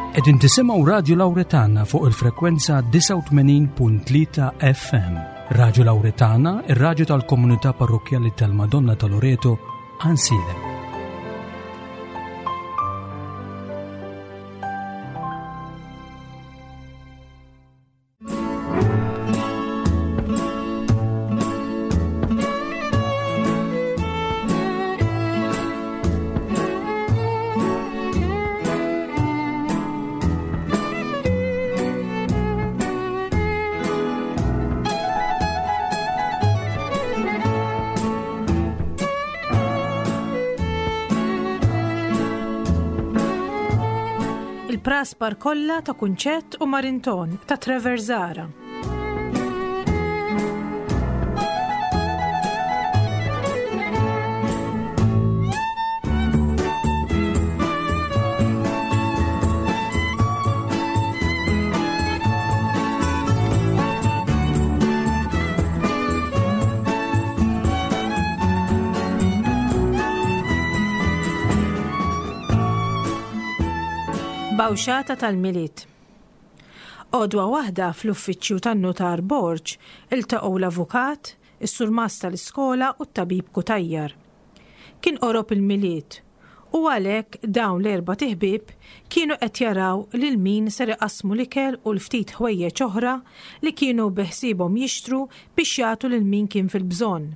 Qegħdin tisimgħu Radio Lauretana fuq il-frekwenza 89.3 FM. Radio Lauretana, ir-radju tal-komunità parrokkjali tal-Madonna ta' Loreto, Ansilem. Il-praspar kollha ta' Kunċett u Marinton ta' Trevor Zara. Bawxata tal-Milied. Għodwa waħda fl-uffiċċju tan-Nutar Borg iltaqgħu l-avukat, is-surmast tal-iskola u t-tabib Cutajar. Kien qorob il-Milied u għalhekk dawn l-erbat iħbieb kienu qed jaraw lil min ser iqassmu l-ikel u l-ftit ħwejjeġ oħra li kienu beħsiebhom jixtru biex jagħtu lil min kien fil-bżonn.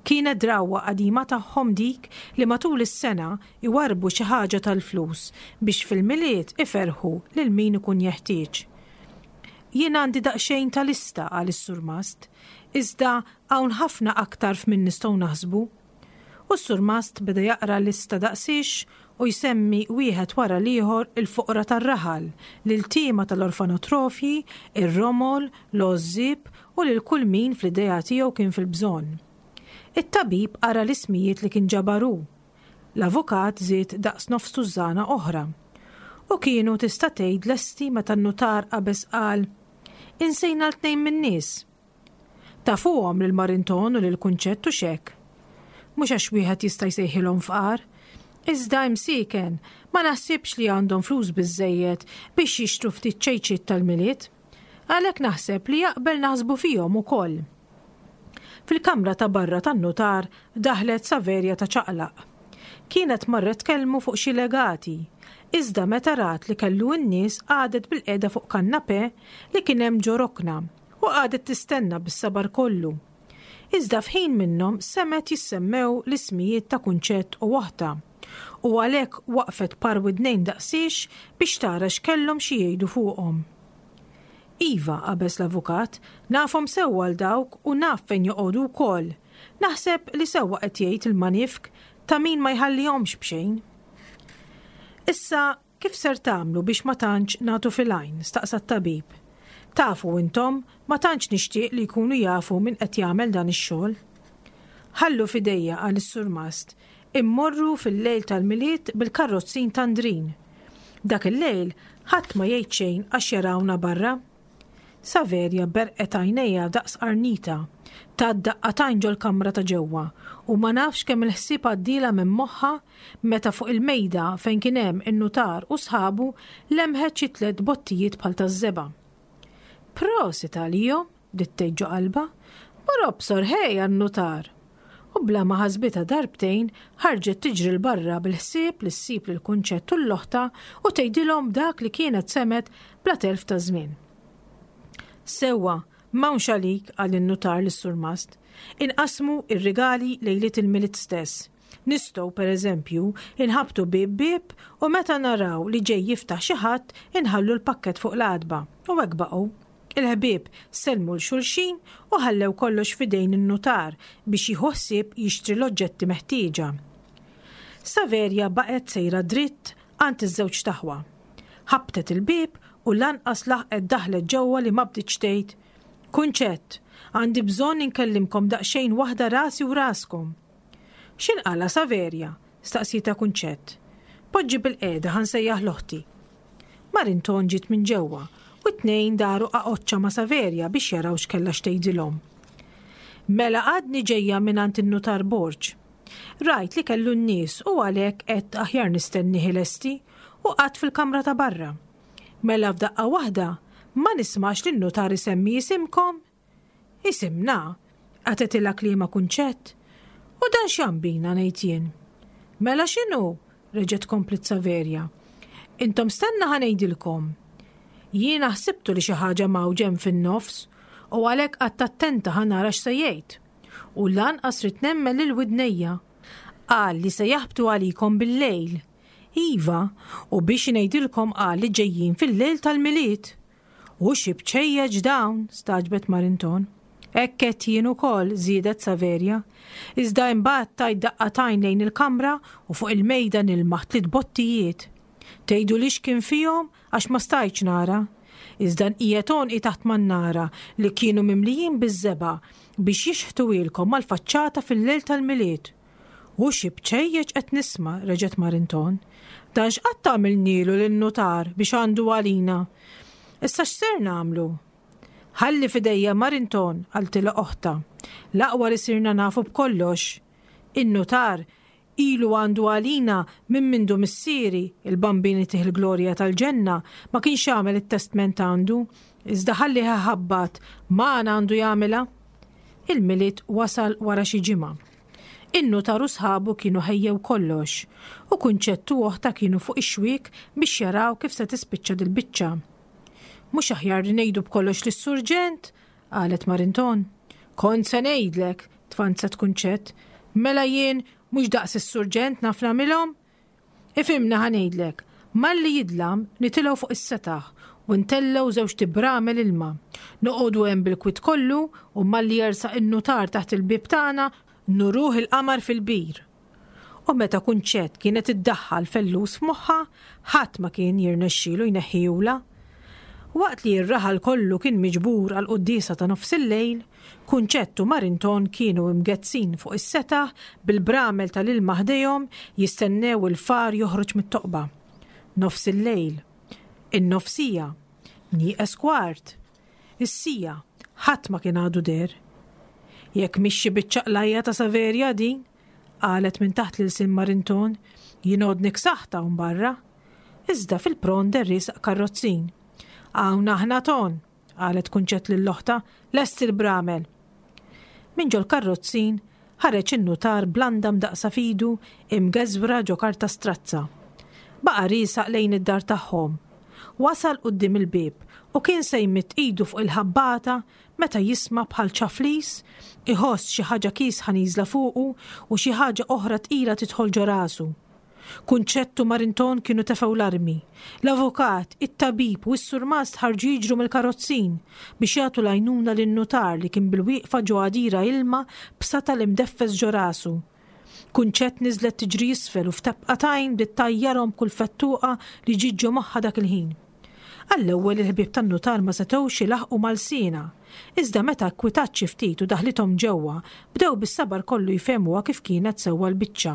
Kienet drawwa qadima tagħhom dik li matul is-sena jwarrbu xi ħaġa tal-flus biex fil-Milied iferrħu lil min ikun jeħtieġ. Jien għandi daqsxejn ta' lista, qal is-surmast, iżda hawn ħafna aktar f'min nistgħu naħsbu. U s-surmast beda jaqra lista daqsiex u jsemmi wieħed wara l-ieħor il-foqra tar-raħal, l-iltiema tal-orfanotrofji, ir-romol, l-għożżieb u lil kull min fl-idea tiegħu kien fil-bżonn. It-tabib qara l-ismijiet li kien ġabar hu. L-avukat żied daqs nofs tużżana oħra. U kienu tista' tgħid lesti meta n-nutar qabeż qal, Insejna l-tnejn min-nies. Tafuhom lil Marinton u lil Kunċett hux hekk? Mhux għax wieħed jista' jsejħilhom fqar. Iżda imsieken, ma naħsibx li għandhom flus biżżejjed biex jixtru ftit ċejċiet tal-Milied. Għalhekk naħseb li jaqbel naħsbu fihom ukoll. Fil-kamra ta' barra tan-nutar daħlet Saverja ta' ċaqlaq. Kienet marret tkellmu fuq xi legati, iżda meta rat li kellu n-nies qagħdet bilqiegħda fuq kannapè li kien hemm ġo rokna u qagħdet tistenna bis-sabar kollu. Iżda f'ħin minnhom semgħet jissemmew l-ismijiet ta' Kunċett u oħtha, u għalhekk waqfet par widnejn daqsiex biex tara x'kellhom xi jgħidu fuqhom. Iva, qabeż l-avukat, nafhom sewwa 'l dawk u naf fejn joqogħdu wkoll. Naħseb li sewwa qed jgħid il-manifk ta' min ma jħallihomx b'xejn. Issa Kif ser tagħmlu biex ma tantx nagħtu fil-għajn? staqsa t-tabib. Tafu intom, ma tantx nixtieq li jkunu jafu min qed jagħmel dan ix-xogħol. Ħallu f'idejja, qal is-surmast, immorru fil-lejl tal-Milied bil-karrozzin ta' Ndrin. Dak il-lejl ħadd ma jgħid xejn għax jarawna barra. Saverja berqet għajnejha daqs qarnita. Tat daqqa t'għajn ġol-kamra ta' ġewwa u ma nafx kemm il-ħsieb għaddielha minn moħħha meta fuq il-mejda fejn kien hemm in-nutar u sħabu lemħet xi tlett bottijiet bħal taż-żebgħa. Prosit għalihom, bdiet tgħid ġo qalbha, mur obsor ħej għan-nutar! U bla ma ħasbitha darbtejn ħarġet tiġri 'l barra bil-ħsieb li ssib lil Kunċett u 'l oħtha u tgħidilhom dak li kienet semgħet bla telf ta' żmien. Sewwa, m'hawnx għalik, qal in-nutar lis-surmast. Inqassmu r-rigali lejliet il-Milied stess. Nistgħu, per eżempju, inħabbtu bieb bieb u meta naraw li ġej jiftaħ xi ħadd inħallu l-pakkett fuq l-għatba. U hekk baqgħu. Il-ħbieb sellmu 'l xulxin u ħallew kollox f'idejn in-nutar biex jieħu ħsieb jixtri l-oġġetti meħtieġa. Saverja baqgħet sejra dritt għand iż-żewġt aħwa. Ħabbtet il-bieb u lanqas laħqet daħlet ġewwa li ma bdietx tgħid, Kunċett, għandi bżonn inkellimkom daqsxejn waħda rasi u raskom. X'inqala' Saverja? staqsietha Kunċett. Poġġi bilqiegħda ħa nsejjaħ 'l oħti. Marinton ġiet minn ġewwa u t-tnejn daru qaqoċċa ma' Saverja biex jaraw x'kellha x'tgħidilhom. Mela għadni ġejja mingħand in-Nutar Borg. Rajt li kellu n-nies u għalhekk għedt aħjar nistennih ilesti u qgħadt fil-kamra ta' barra. Mela f'daqqa waħda ma nismax lin-nutar isemmi isimkom? Isimna? Qatgħetilha kliemha Kunċett. U dan x'jambina ngħid jien? Mela x'inhu? reġgħet kompliet Saverja. Intom stenna ħa ngħidilkom. Jiena ħsibtu li xi ħaġa mgħawġa hemm fin-nofs u għalhekk qgħadt attenta ħa nara x'se jgħid. U lanqas ridt nemmen lil widnejja. Qal li se jaħbtu għalikom bil-lejl. Iva, u biex ngħidilkom qal li ġejjin fil-lejl tal-Milied. U xi bċejjeċ dawn, stagħġbet Marinton. Hekk għedt jien ukoll, żiedet Saverja. Iżda imbagħad tajt daqqa t'għajn lejn il-kamra u fuq il-mejda nilmaħ tliet bottijiet. Tgħiduli x'kien fihom għax ma stajtx nara. Iżda nqiegħed għonqi taħt mannara li kienu mimlijin biż-żebgħa biex jixħtuhielkom mal-faċċata fil-lejl tal-Milied. U xi bċejjeċ qed nisma', reġgħet Marinton. Dan x'qatt għamilnielu lin-nutar biex għandu għalina? Issa x'ser nagħmlu? Ħalli f'idejja Marinton, qaltilha oħtha. L-aqwa li sirna nafu b'kollox. In-nutar ilu għandu għalina minn mindu missieri, il-Bambin itih il-glorja tal-ġenna, ma kienx għamel it-testment għandu. Iżda ħallih iħabbat, magħna għandu jagħmilha. Il-Milied wasal wara xi ġimgħa. In-nutar u sħabu kienu ħejjew kollox, u Kunċett u oħtha kienu fuq ix-xwiek biex jaraw kif se tispiċċa dil-biċċa. Mhux aħjar li ngħidu b'kollox lis-surġent? qalet Marinton. Kont se ngħidlek, tfanzet Kunċett. Mela jien mhux daqs is-surġent naf nagħmilhom? Ifhimni ħa ngħidlek, malli jidlam nitilgħu fuq is-setaħ u ntellgħu żewġt ibramel ilma. Noqogħdu hemm bil-kwiet kollu u malli jersaq in-nutar taħt il-bieb tagħna nuruh il-qamar fil-bir. U meta Kunċett kienet iddaħħal fellus f'moħħha, ħadd ma kien jirnexxielu jneħħihulha. Waqt li r-raħal kollu kien miġbur għall-quddiesa ta' nofsillejl, Kunċett u Marinton kienu imgezzin fuq is-setaħ bil-bramel tal-ilma ħdejhom jistennew il-far joħroġ mit-toqba. Nofsillejl. In-nofsija. Nieqes kwart. Is-siegħa. Ħadd ma kien għadu deher. Jekk mhix xi biċċa qlajja ta' Saverja din, qalet minn taħt l-ilsien Marinton, jien għodni ksaħt hawn barra. Iżda fil-pront deher riesaq karrozzin. Hawn aħna Ton! qalet Kunċett lil oħtha, lesti l-bramel! Minn ġol-karrozzin ħareġ in-nutar b'landa mdaqqsa f'idu imgeżwra ġo karta strazza. Baqa' riesaq lejn id-dar tagħhom. Wasal quddiem il-bieb u kien se jmidd idu fuq il-ħabbata meta jisma' bħal ċaflis, iħoss xi ħaġa kiesħa nieżla fuqu u xi ħaġa oħra tqila tidħol ġo rasu. Kunċett u Marinton kienu tefgħu l-armi. L-avukat, it-tabib u s-surmast ħarġu jiġru mill-karozzin biex jagħtu l-għajnuna lin-nutar li kien bilwieqfa ġo għadira ilma b'satal imdeffes ġo rasu. Kunċett niżlet tiġri isfel u f'tebqa t'għajn bdiet tgħajjarhom b'kull fettuqa li ġiet ġo moħħha dak il-ħin. Għall-ewwel il-ħbieb tan-nutar ma setgħux ilaħħqu ma' lsienha. Iżda meta kkwitat xi ftit u daħlithom ġewwa, bdew bis-sabar kollu jfehmuha kif kienet sewwa l-biċċa.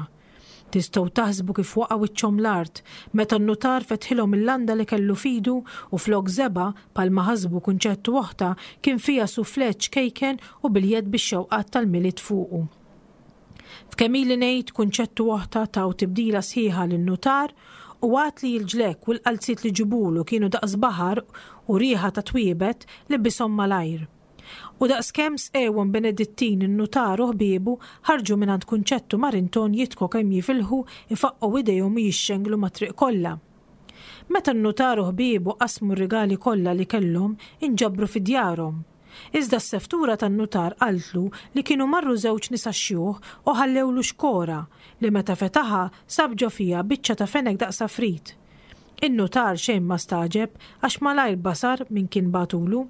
Tistgħu taħsbu kif waqa' wiċċhom l-art meta n-nutar fetħilhom il-landa li kellu f'idu u flok żebgħa, bħalma ħasbu Kunċett u oħtha, kien fiha soufflé ċkejken u biljett bix-xewqat tal-Milied fuqu. F'kemm ili ngħid, Kunċett u oħtha taw tibdila sħiħa lin-nutar u għad li l-ġlekk u l-qalziet li ġibulu kienu daqs baħar u riħa ta' twiebet, libishom malajr. U daqskemm sqewhom Benedittin in-nutar u ħbiebu ħarġu mingħand Kunċett u Marinton jidħku kemm jifilħu, ifaqqgħu idejhom u jixxenglu mat-triq kollha. Meta n-nutar u ħbiebu qasmu r-rigali kollha li kellhom, inġabru fi djarhom. Iżda s-seftura tan-nutar qaltlu li kienu marru żewġ nisa xjuħ u ħallewlu xkora li meta fetaħha sab ġo fiha biċċa ta' fenek daqs għafrit. In-nutar xejn ma stagħġeb għax malajr basar min kien bagħtulu.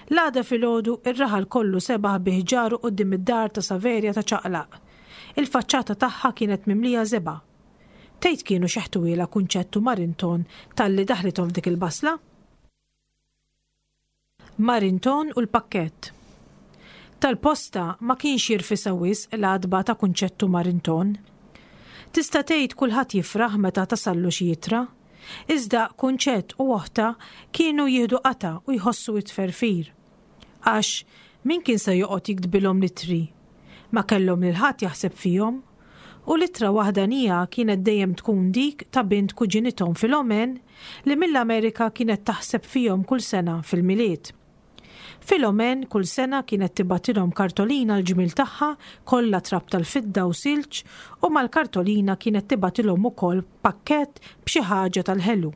L-għada filgħodu ir-raħal kollu sebaħ bi ħġaru quddiem id-dar ta' Saverja ta' Ċaqlaq. Il-faċċata tagħha kienet mimlija żebgħa. Tgħid kienu xeħtuhielha Kunċett u Marinton talli daħlithom f'dik il-basla? Marinton u l-pakkett. Tal-posta ma kienx jirfisha wisq l-għatba ta' Kunċett u Marinton. Tista' tgħid kulħadd jifraħ meta tasallu xi ittra. Iżda Kunċett u oħtha kienu jieħdu qatgħa u jħossu t-tferfir. Għax, min kien se joqgħod jiktbilhom l-ittri? Ma kellhom lil ħadd jaħseb fihom. U l-ittra waħdanija kienet dejjem tkun dik ta' bint kuġinithom Filomen li mill-Amerika kienet taħseb fihom kull sena fil-Milied. Filomen kull sena kienet tibgħatilhom kartolina l-ġmiel tagħha kollha trab tal-fidda u silġ u mal-kartolina kienet tibgħatilhom ukoll pakkett b'xi ħaġa tal-ħelu.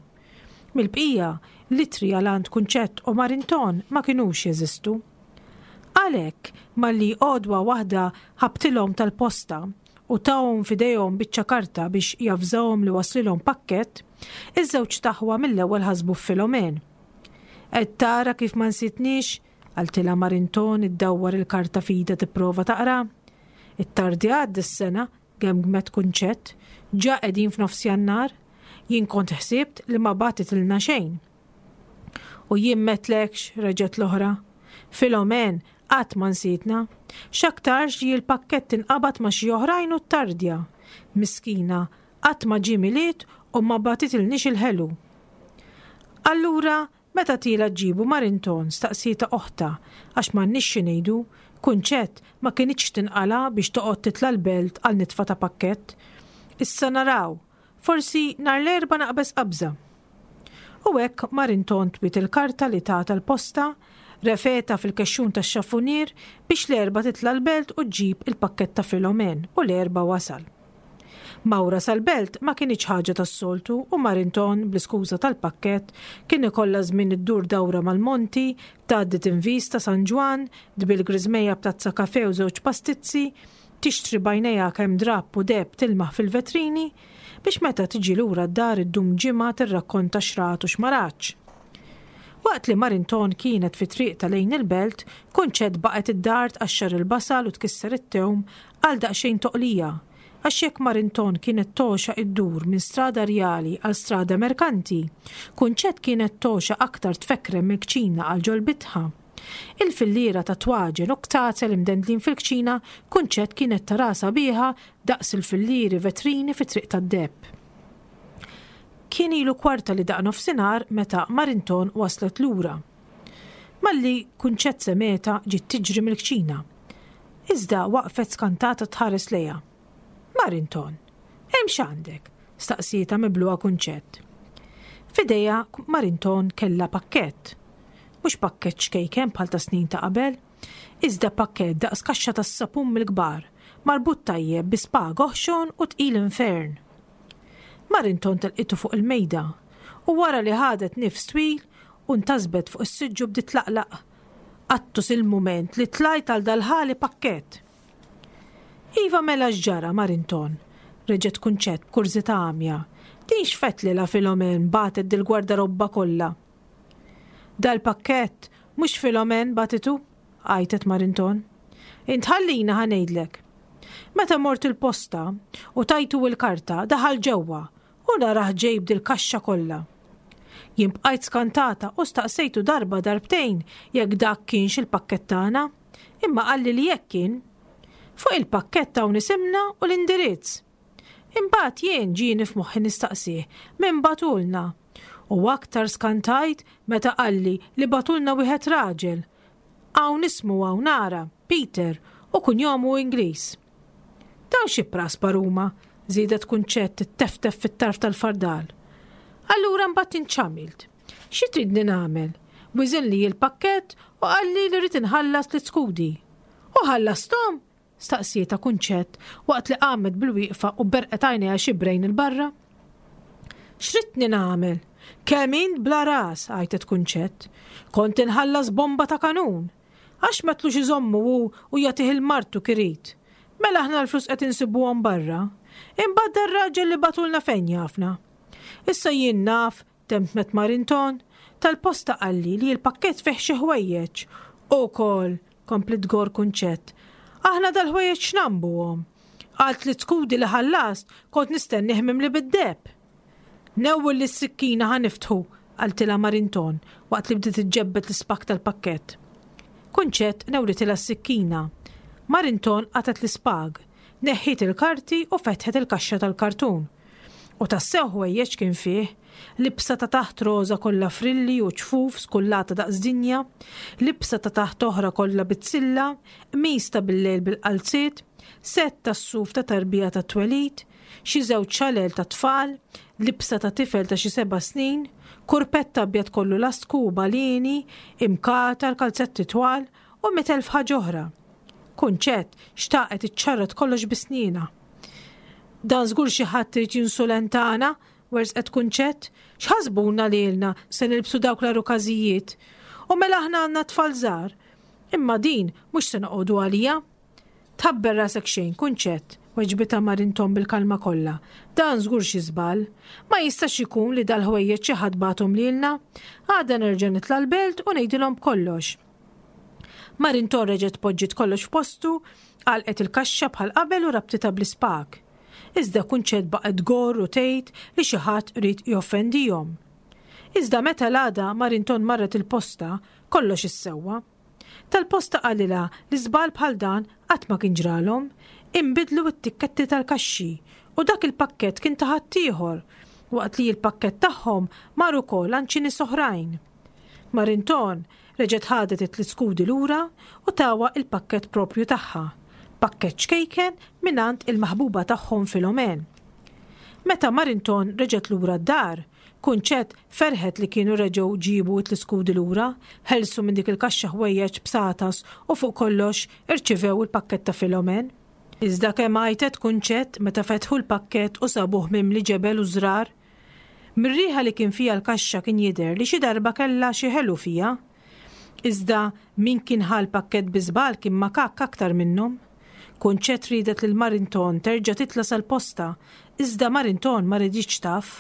Mill-bqija, l-ittri għal għand Kunċett u Marinton ma kinux jeżistu. Għalhekk, malli għodwa waħda ħabtilhom tal-posta u tahom f'idejhom biċċa karta biex javżahom li waslilhom pakkett, iż-żewġt aħwa mill-ewwel ħasbu f'Filomen. Qed tara kif ma nsitniex? qaltilha Marinton iddawwar il-karta f'idha tipprova taqra. Ittardjat dis-sena, gemgmet Kunċett, ġa qegħdin f'nofs Jannar. Jien kont ħsibt li ma bagħtitilna xejn. U jien m'għedtlekx, reġgħet l-oħra. Filomen, qatt ma nsietna. X'aktarx li l-pakkett inqabad ma' xi oħrajn u ttardja. Miskina, qatt ma ġie Milied u ma bagħtitilniex il-ħelu. Allura, meta tiela' ġġibu Marinton? staqsietha oħtha, għax m'għandniex xi ngħidu, Kunċett ma kinitx tinqala' biex toqgħod titla' l-Belt għal nitfa ta' pakkett. Issa naraw, Forsi nhar l-Erbgħa naqbeż qabża. U hekk Marinton twiet il-karta li tatha l-posta, refgħetha fil-kexxun tax-xafunier biex l-Erbgħa titla' l-Belt u ġġib il-pakkett ta' Filomen u l-Erbgħa wasal. Mawra sal-Belt ma kinitx ħaġa tas-soltu u Marinton, bl-iskuża tal-pakkett, kien ikollha żmien iddur dawra mal-monti, tgħaddi tinvis ta' San Ġwann, tbill griżmejja b'tazza kafè u żewġ pastizzi, Tixtri b'għajnejha kemm drapp u deheb tilmaħ fil-vetrini, biex meta tiġi lura d-dar iddum ġimgħa tirrakkonta x'rat u x'ma ratx. Waqt li Marinton kienet fi triqtha lejn il-belt, Kunċett baqgħet id-dar tqaxxar il-basal u tkisser it-tewm għal daqsxejn toqlija, għax jekk Marinton kienet togħxa iddur minn Strada Rjali għal Strada Merkanti, Kunċett kienet togħxa aktar tfekkrem mill-kċina għal ġol-bitħa. Il-filliera ta' twaġen u ktazel imdendlin fil-kċina Kunċett kienet taraha sabiħa daqs il-fillieri vetrini fit-Triq tad-Deheb. Kien ilu kwarta li daqq nofsinhar meta Marinton waslet lura. Malli Kunċett semgħetha ġiet tiġri mill-kċina. Iżda waqfet skantata tħares lejha. Marinton, hemm x'għandek? staqsietha mibluha Kunċett. F'idejha Marinton kellha pakkett. Mhux pakkett ċkejken bħal ta' snin ta' qabel, iżda pakkett daqs kaxxa tas-sapun mill-kbar, marbut tajjeb bi spag oħxon u tqil infern. Marinton telqitu fuq il-mejda u wara li ħadet nifs twil u ntasbet fuq is-siġġu bdiet tlaqlaq. Qattus il-mument li tlajt għal dal-ħali pakkett. Iva mela x'ġara, Marinton? reġgħet Kunċett b'kurżità għamja. Din x'fettlilha Filomen bagħtet dil-gwardarobba kollha? Dal-pakkett mhux Filomen bagħtitu, għajtet Marinton. Int ħallina ħa ngħidlek. Meta mort il-posta u tajtu il-karta daħal ġewwa u narah ġej b'dil-kaxxa kollha. Jien bqajt skantata u staqsejtu darba darbtejn jekk dak kienx il-pakkett tagħna. Imma qalli li hekk kien. Fuq il-pakkett hawn isimna u l-indirizz. Imbagħad jien ġieni f'moħħi nistaqsih min bagħtulna. U aktar skantajt meta qalli li bagħtulna wieħed raġel. Hawn ismu hawn ara, Peter, u kunjomu Ingliż. Dawn xi praspar huma, żiedet Kunċett titteftef fit-tarf tal-fardal. Allura mbagħad int x'għamilt? Xi tridni nagħmel? Wiżinli l-pakkett u qalli li rrid inħallas l-iskudi. U ħallasthom? staqsietha Kunċett waqt li qamet bil-wieqfa u berqet għajnejha xibrejn 'il barra. X'ridtni nagħmel? Kemm int bla ras, għajtet Kunċett. Kont inħallas bomba ta' kanun. Għax m'għedtlux iżommu hu u jagħtih 'il martu k'irid. Mela aħna l-flus qed insibuhom barra. Imbagħad dar-raġel li bagħtulna fejn jafna? Issa jien naf, temtmet Marinton, tal-posta qalli li l-pakkett fih xi ħwejjeġ. Ukoll, kompliet tgorr Kunċett, aħna dal-ħwejjeġ x'nagħmbuhom? Għal tliet skudi li ħallast kont nistennih mimli bid-deheb. Newwilli s-sikkina ħa niftħu, qaltilha Marinton waqt li bdiet iġġebbed l-ispakk tal-pakkett. Kunċett newlitilha s-sikkina. Marinton qatgħet l-ispag, neħħiet il-karti u fetħet il-kaxxa tal-kartun. U tassew ħwejjeġ kien fih, libsa ta' taħt roża kollha frilli u ċfuf skullata daqs dinja, libsa ta' taħt oħra kollha bizzilla, qmis ta' billejl bil-qalziet, Sett tas-suf ta' tarbija tat-twelid, xi żewġ xalel tat-tfal, libsa ta' tifel ta' xi seba' snin, kurpett abjad kollu lastku u balieni, imkatar, kalzetti twal, u 100,000 ħaġa oħra. Kunċett xtaqet iċċarrat kollox bi snienha. Dan żgur xi ħadd irid jinsulentana, werżqet Kunċett. X'ħasbuna lilna se nilbsu dawk l-għarukażijiet? U mela aħna għandna tfal żgħar. Imma din mhux se noqogħdu għaliha. Tħabber rasek xejn, Kunċett, weġbitha Marinton bil-kalma kollha. Dan żgur xi żball. Ma jistax ikun li dal-ħwejjeġ xi ħadd bagħathom lilna. Għada nerġa' nitla' l-belt u ngħidilhom b'kollox. Marinton reġgħet poġġiet kollox f'postu, għalqet il-kaxxa bħal qabel u rabtitha bl-ispag. Iżda Kunċett baqgħet tgorr u tgħid li xi ħadd ried joffendihom. Iżda meta l-għada Marinton marret il-posta, kollox issewwa. Tal-posta qalilha li żball bħal dan qatt ma kien ġralhom, inbidlu t-tikketti tal-kaxxi u dak il-pakkett kien ta' ħaddieħor, waqt li l-pakkett tagħhom mar ukoll għand xi nies oħrajn. Marinton reġgħet ħadet it-tliet skudi lura u tawha il-pakkett proprju tagħha, pakkett ċkejken mingħand il-maħbuba tagħhom Filomene. Meta Marinton reġgħet lura d-dar, Kunċett ferħet li kienu reġgħu ġiebu t-tliskudi lura, ħelsu minn dik il-kaxxa ħwejjeġ b'satas u fuq kollox irċivew il-pakkett ta' Filomen. Iżda kemm għajtet Kunċett meta fetħu l-pakkett u sabuh mimli ġebel u żrar. Mir-riħa li kien fiha l-kaxxa kien jidher li xi darba kellha xi ħelu fiha. Iżda min kien ħa l-pakkett bi żball kien makakk aktar minnhom. Kunċett riedet lil Marinton terġa' titla' sal-posta, iżda Marinton ma riditx taf.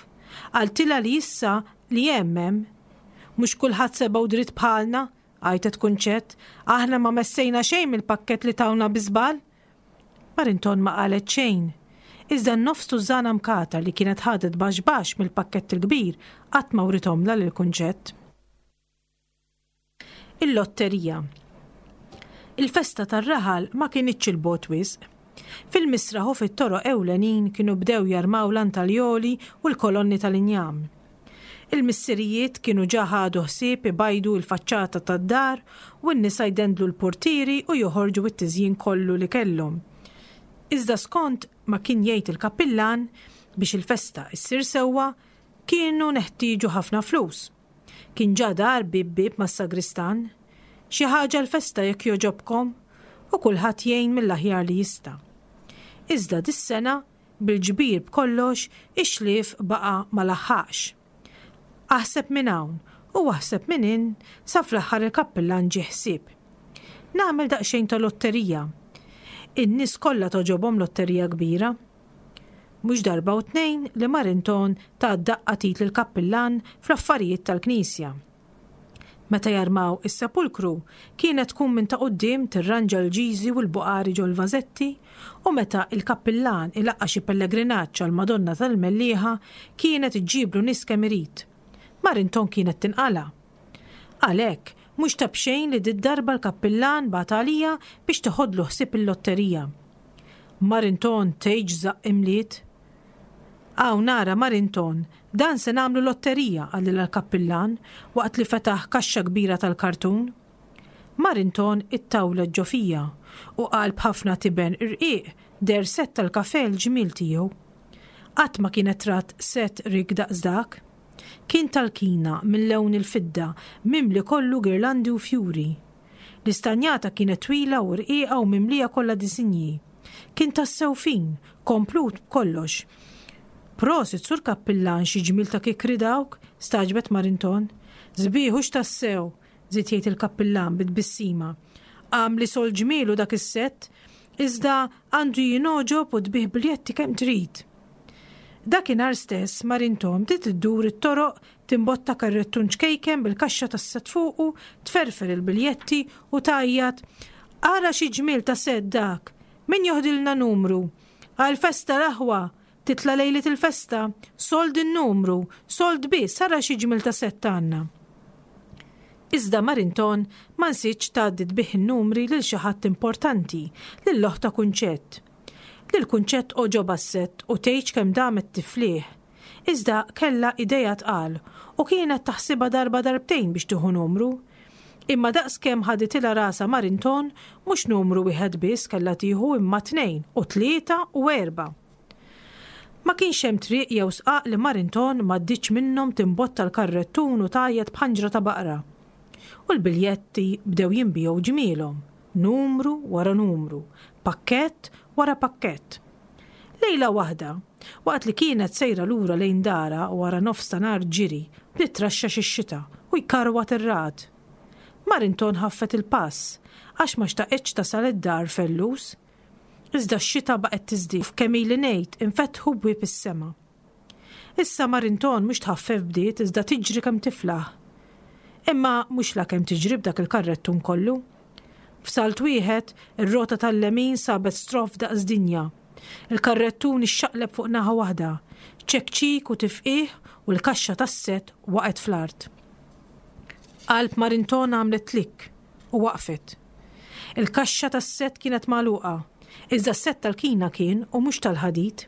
Qaltilha li issa li hemm hemm. Mhux kulħadd seba' u dritt bħalna, għajtet Kunċett, aħna ma messejna xejn mill-pakkett li tawna bi żball. Marinton ma qalet xejn. Iżda n-nofs tużżana mkatar li kienet ħadet baxx baxx mill-pakkett il-kbir qatt ma writhomlha lil Kunċett. Il-lotterija. Il-festa tar-raħal ma kinitx 'il bogħod wisq. Fil-misraħ u fit-toroq ewlenin kienu bdew jarmaw l-antaljoli u l-kolonni tal-injam. Il-missirijiet kienu ġa ħadu ħsieb ibajdu l-faċċata tad-dar u n-nisa jdendlu l-purtieri u joħorġu t-tiżjin kollu li kellhom. Iżda skont ma kien jgħid il-kappillan, biex il-festa ssir sewwa, kienu neħtieġu ħafna flus. Kien ġa dar bieb bieb mas-sagristan. Xi ħaġa l-festa jekk jogħġobkom! U kulħadd jgħin mill-aħjar li jista'. Iżda dis-sena, bil-ġbir b'kollox, ix-xlief baqa' ma laħħaqx. Aħseb minn hawn u aħseb minn hinn sa fl-aħħar il-kappillan ġieh ħsieb. Nagħmel daqsxejn ta' lotterija. In-nies kollha togħġobhom lotterija kbira. Mhux darba u tnejn li Marinton ta daqqa t'id lill-kappillan fl-affarijiet tal-knisja. Meta jarmaw is-sepulkru, kienet tkun minn ta' quddiem tirranġa l-ġiżi u l-buqari ġol-vażetti u meta il-kappillan ilaqqa' xi pellegrinaġġ għall-Madonna tal-Mellieħa kienet iġġiblu nies kemm irid. Marinton kienet tinqala'. Għalhekk, mhux ta' b'xejn li did-darba l-kappillan bagħat għalija biex teħodlu ħsieb il-lotterija. Marinton tgħidx żaqq imliet. Hawn ara Marinton, dan se nagħmlu lotterija, qalilha l-kappillan waqt li fetaħ kaxxa kbira tal-kartun. Marinton ittawlet ġo fija u qalb ħafna tiben irqiq deher sett tal-kafè l-ġmiel tiegħu. Qatt ma kienet rat sett rikk daqs dak. Kien tal-kina minn lewn il-fidda, mimli kollu girlandi u fjuri. L-istanjata kienet twila u rqiqa u mimlija kollha disinji. Kien tassew fin, komplut b'kollox. Prosit, Sur Kappillan, xi ġmiel ta' kikri dawk, stagħġbet Marinton. Sbieħ hux tassew, żied jgħid il-kappillan bi tbissima. Għamli sol ġmielu dak is-sett, iżda għandu jingħoġob u tbigħ biljetti kemm trid. Dakinhar stess Marinton bdiet iddur it-toroq timbotta karrettun ċkejken bil-kaxxa tas-sett fuqu, tferfer il-biljetti u tgħajjat, Ara xi ġmiel ta' sett dak! Min joħdilna numru? Għall-festa l-aħwa! Titla' lejliet il-festa! Sold in-numru! Sold biss, ara xi ġmiel ta' sett għandna! Iżda Marinton ma nsietx tgħaddi tbigħ in-numri lil xi ħadd importanti, lil oħtha Kunċett. Lil Kunċett għoġobha s-sett u tgħidx kemm damet tiflih. Iżda kellha idejha tqal u kienet taħsibha darba darbtejn biex tieħu numru. Imma daqskemm ħaditilha rasha Marinton, mhux numru wieħed biss kellha tieħu imma tnejn u tlieta u erbgħa. Ma kienx hemm triq jew sqaq li Marinton m'għaddietx minnhom timbotta l-karrettun u tgħajjat b'ħanġra ta' baqra. U l-biljetti bdew jinbiegħu ġmielhom, numru wara numru, pakkett wara pakkett. Lejla waħda, waqt li kienet sejra lura lejn darha wara nofs ta' nhar ġiri, bdiet traxxax ix-xita u jkarwat ir-ragħad. Marinton ħaffet il-pass, għax ma xtaqitx tasal id-dar fellus. Iżda x-xita baqgħet tiżdied u f'kemm ili ngħid infetħu bwieb is-sema. Issa Marinton mhux tħaffef bdiet iżda tiġri kemm tiflaħ. Imma mhux la kemm tiġri b'dak il-karrettun kollu. F'salt wieħed, ir-rota tal-lemin sabet stroff daqs dinja. Il-karrettun ixxaqleb fuq naħa waħda, ċekċik u tifqigħ u l-kaxxa tas-sett waqgħet fl-art. Qalb Marinton għamlet klikk u waqfet. Il-kaxxa tas-sett kienet magħluqa, iżda s-sett tal-kina kien u mhux tal-ħadid.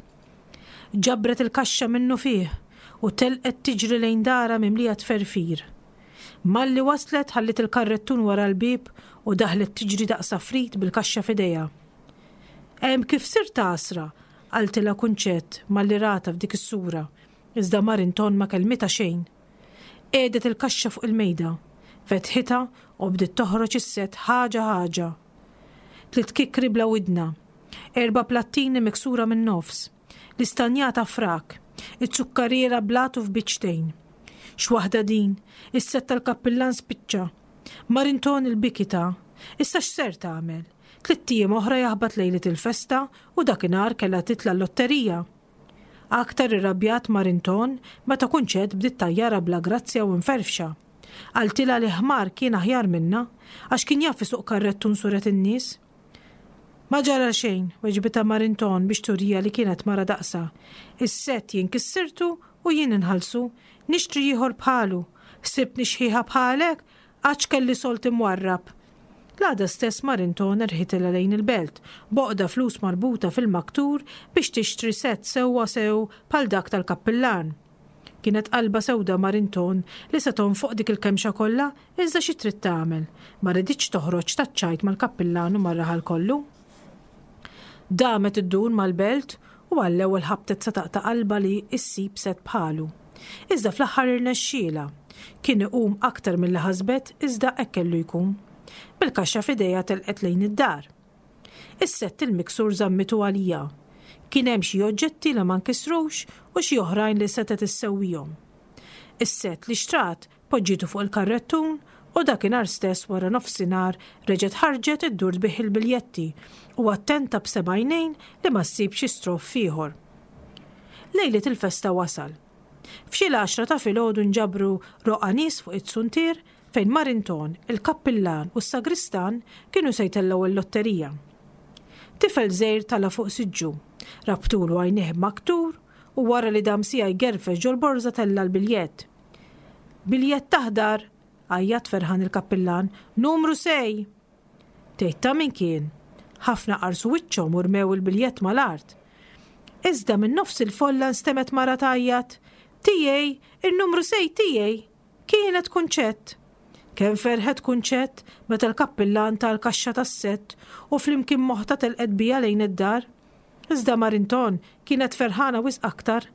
Ġabret il-kaxxa minnufih u telqet tiġri lejn darha mimlija tferfir. Malli waslet ħalliet il-karrettun wara l-bieb u daħlet tiġri daqs għafrit bil-kaxxa f'idejha. Hemm kif sirt għasra, qaltilha Kunċett malli ratha f'dik is-sura, iżda Marinton ma kellmitha xejn. Qiegħdet il-kaxxa fuq il-mejda, fetħitha u bdiet toħroġ is-sett ħaġa ħaġa. Tliet kikkri bla widna, erba' plattini miksura min-nofs, l-istanjata frak, iz-zukkariera blat u f'biċċtejn. X'waħda din, is-sett tal-kappillan spiċċa. Marinton il-biki ta', issa x'ser tagħmel? Tlitt ijiem oħra jaħbat lejliet il-festa u dakinhar kellha titla' l-lotterija. Aktar irrabjat Marinton meta Kunċett bdiet tgħajjarha bla grazzja u mferfxa. Qaltilha li ħmar kien aħjar minnha għax kien jaf isuq karrettun suret in-nies. Ma ġara xejn, weġbitha Marinton biex turiha li kienet mara daqsha. Is-sett jien kissirtu u jien inħallsu. Nixtri ieħor bħalu. Ħsibtni xħiħa bħalek? Għadx kelli sold imwarrab. L-għada stess Marinton erħitilha lejn il-belt, b'għoqda flus marbuta fil-maktur biex tixtri sett sewwa sew bħal dak tal-kappillan. Kienet qalbha sewda Marinton li se tonfoq dik il-kemxa kollha, iżda xi trid tagħmel? Ma riditx toħroġ taċ-ċajt mal-kappillan u mar-raħal kollu. Damet iddur mal-belt u għall-ewwel ħabtet sa taqta' qalbha li ssib sett bħalu. Iżda fl-aħħar irnexxielha. Kien iqum aktar milli ħasbet iżda hekk kellu jkun. Bil-kaxxa f'idejha telqet lejn id-dar. Is-sett il-miksur żammitu għaliha. Kien hemm xi oġġetti li ma nkisrux u xi oħrajn li setgħet issewwihom. Is-sett li xtrat Poġġietu fuq il-karrettun u dakinhar stess wara nofsinhar reġgħet ħarġet iddur tbigħ il-biljetti u attenta b'seba' għajnejn li ma ssib xi stroff ieħor. Lejliet il-festa wasal. F'xi l-għaxra ta' filgħodu nġabru roqgħa nies fuq it-suntier fejn Marinton, il-kappillan u s-sagristan kienu se jtellgħu l-lotterija. Tifel żgħir tala' fuq siġġu, rabtulu għajnejh b'maktur u wara li dam siegħa jgerfex ġol-borża tella' l-biljett. Biljett aħdar! għajjat ferħan il-kappillan. Numru sej! Tgħid ta' min kien? Ħafna qarsu wiċċhom u rmew il-biljett mal-art. Iżda minn nofs il-folla nstemgħet mara tgħajjat, Tiegħi! In-numru sej tiegħi! Kienet Kunċett! Kemm ferħet Kunċett meta l-kappillan ta l-kaxxa tas-sett u flimkien m'oħtha telqet biha lejn id-dar. Iżda Marinton kienet ferħana wisq aktar.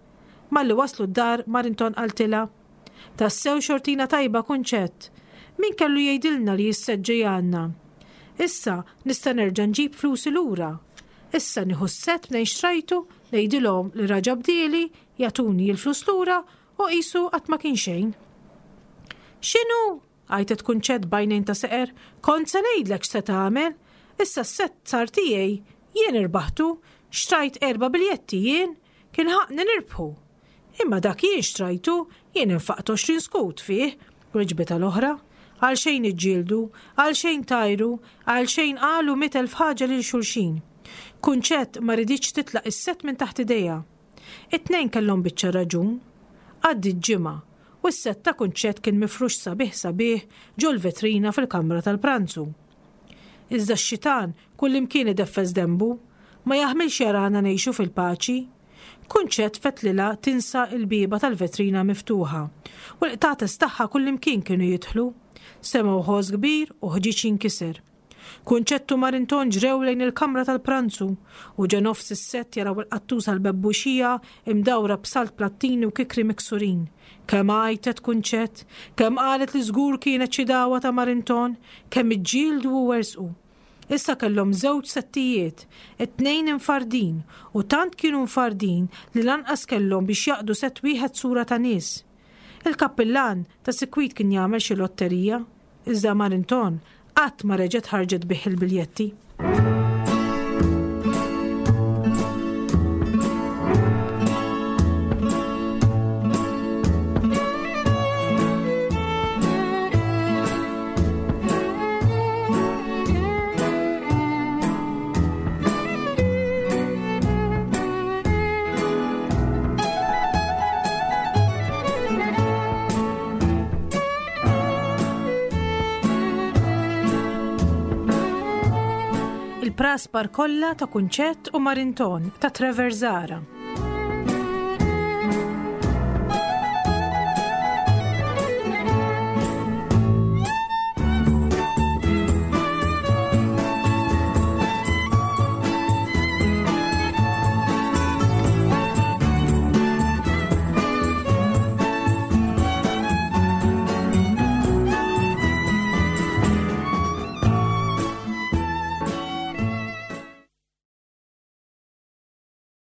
Malli waslu d-dar, Marinton qaltilha, Tassew xortina tajba, Kunċett! Min kellu jgħidilna li s-sett ġej għandna? Issa nista' nerġa' nġib flusi lura. Issa nieħu s-sett mnejn xtrajtu, ngħidilhom li raġa' bdieli, jagħtuni l-flus lura u qisu qatt ma kien xejn. X'inhu? Għajtet Kunċett b'għajnejn ta' seqer, Kont se ngħidlek x'se tagħmel! Issa s-sett sar tiegħi! Jien irbaħtu! Xtrajt erba' biljetti jien! Kien ħaqqni nirbħu! Imma dak jien xtrajtu, jien infaqt 20 skud fih, weġbitha l-oħra. Għalxejn iġġieldu, għalxejn tajru, għalxejn qalu 100,000 ħaġa lil xulxin. Kunċett ma riditx titlaq is-sett minn taħt idejha. It-tnejn kellhom biċċa raġun. Għaddiet ġimgħa, u s-sett ta' Kunċett kien mifrux sabiħ sabiħ ġol-vetrina fil-kamra tal-pranzu. Iżda x-xitan kullimkien ideffes denbu, ma jaħmilx jarana ngħixu fil-paċi. Kunċett fetlilha tinsa l-bieba tal-vetrina miftuħa, u l-qtates tagħha kullimkien kienu jidħlu. Semgħu ħoss kbir u ħġieġ jinkiser. Kunċett u Marinton ġrew lejn il-kamra tal-pranzu u ġa nofs is-sett jaraw il-qattusa l-bebbuxija imdawra b'salt plattini u kikri miksurin. Kemm għajtet Kunċett, kemm qalet li żgur kienet xi dagħwa ta' Marinton, kemm iġġieldu u werżqu. Issa kellhom żewġ settijiet, it-tnejn imfardin, u tant kienu mfardin li lanqas kellhom biex jaqdu sett wieħed sura ta' nies. Il-kappillan ta' sikwit kien jagħmel xi lotterija, iżda Marinton qatt ma reġgħet ħarġet bih il-biljetti. Il-praspar kollha ta' Kunċett u Marinton ta' Trevor Zara.